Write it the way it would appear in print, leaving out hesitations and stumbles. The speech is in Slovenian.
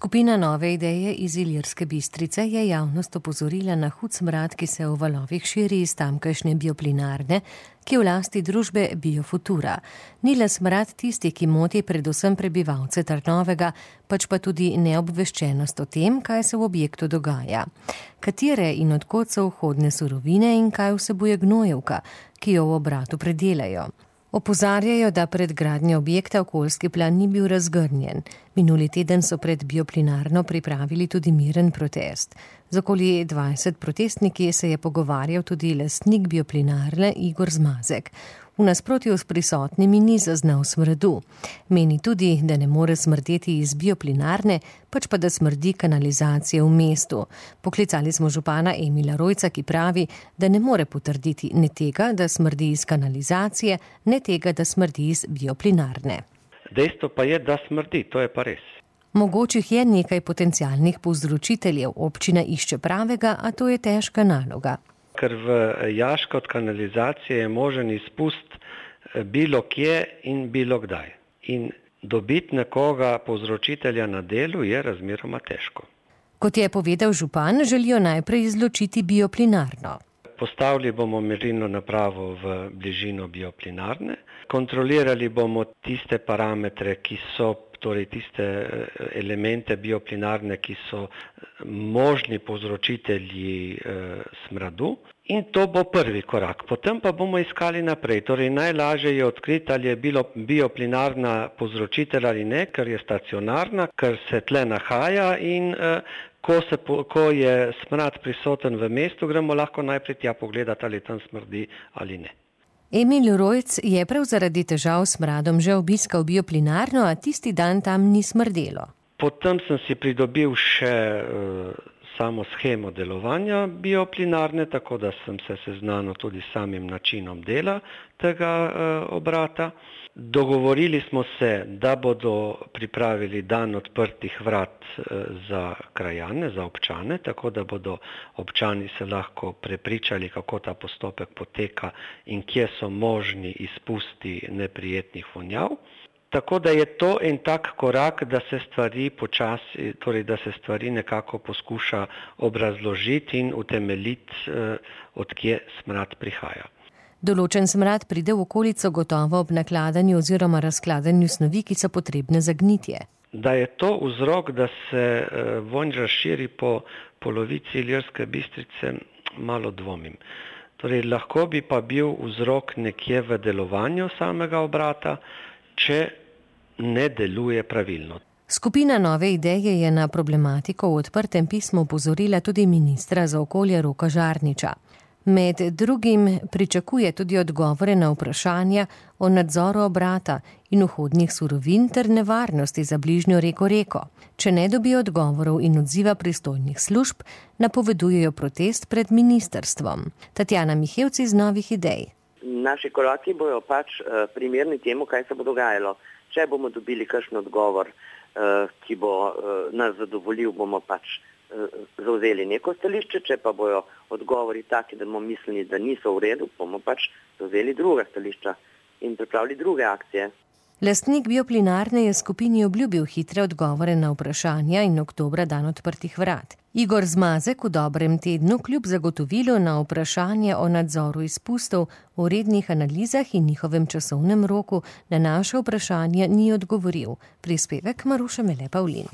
Skupina Nove ideje iz Ilirske Bistrice je javnost opozorila na hud smrad, ki se v valovih širi iz tamkajšnje bioplinarne, ki je v lasti družbe Biofutura. Ni le smrad tisti, ki moti predvsem prebivalce Trnovega, pač pa tudi neobveščenost o tem, kaj se v objektu dogaja. Katere in od kod so vhodne surovine in kaj vsebuje gnojevka, ki jo v obratu predelajo. Opozarjajo, da pred gradnjo objekta okoljski plan ni bil razgrnjen. Minuli teden so pred bioplinarno pripravili tudi miren protest. Z okoli 20 protestniki se je pogovarjal tudi lastnik bioplinarne Igor Zmazek. V nasprotju s prisotnimi ni zaznal smradu. Meni tudi, da ne more smrdeti iz bioplinarne, pač pa da smrdi kanalizacije v mestu. Poklicali smo župana Emila Rojca, ki pravi, da ne more potrditi ne tega, da smrdi iz kanalizacije, ne tega, da smrdi iz bioplinarne. Dejstvo pa je, da smrdi, to je pa res. Mogočih je nekaj potencialnih povzročiteljev, občina išče pravega, a to je težka naloga. Ker v jaško od kanalizacije je možen izpust bilo kje in bilo kdaj. In dobiti nekoga povzročitelja na delu je razmeroma težko. Kot je povedal župan, želijo najprej izločiti bioplinarno. Postavili bomo merilno napravo v bližino bioplinarne, kontrolirali bomo tiste parametre, ki so, torej tiste elemente bioplinarne, ki so možni povzročitelji smradu, in to bo prvi korak. Potem pa bomo iskali naprej. Torej najlažje je odkriti, ali je bioplinarna povzročitelj ali ne, ker je stacionarna, ker se tle nahaja in ko je smrad prisoten v mestu, gremo lahko najprej tja pogledati, ali tam smrdi ali ne. Emil Rojc je prav zaradi težav s smradom že obiskal bioplinarno, a tisti dan tam ni smrdelo. Potem sem si pridobil še samo shemo delovanja bioplinarne, tako da sem se seznanil tudi s samim načinom dela tega obrata. Dogovorili smo se, da bodo pripravili dan odprtih vrat za krajane, za občane, tako da bodo občani se lahko prepričali, kako ta postopek poteka in kje so možni izpusti neprijetnih vonjav. Tako da je to en tak korak, da se stvari počasi, torej da se stvari nekako poskuša obrazložiti in utemeljiti, od kje smrad prihaja. Določen smrad pride v okolico gotovo ob nakladanju oziroma razkladanju snovi, ki so potrebne za gnitje. Da je to vzrok, da se vonj razširi po polovici Ilirske Bistrice, malo dvomim. Torej, lahko bi pa bil vzrok nekje v delovanju samega obrata, če ne deluje pravilno. Skupina Nove ideje je na problematiko v odprtem pismu opozorila tudi ministra za okolje Roka Žarniča. Med drugim pričakuje tudi odgovore na vprašanja o nadzoru obrata in vhodnih surovin ter nevarnosti za bližnjo reko Reko. Če ne dobijo odgovorov in odziva pristojnih služb, napovedujejo protest pred ministrstvom. Tatjana Mihevci iz Novih idej. Naši koraki bojo pač primerni temu, kaj se bo dogajalo. Če bomo dobili kakšen odgovor, ki bo nas zadovoljil, bomo pač zavzeli neko stališče, če pa bojo odgovori taki, da bomo mislili, da niso v redu, bomo pač zavzeli druga stališča in pripravili druge akcije. Lastnik bioplinarne je skupini obljubil hitre odgovore na vprašanja in oktobra dan odprtih vrat. Igor Zmazek v dobrem tednu kljub zagotovilu na vprašanje o nadzoru izpustov, o rednih analizah in njihovem časovnem roku na naše vprašanje ni odgovoril. Prispevek Maruša Mele Pavlin.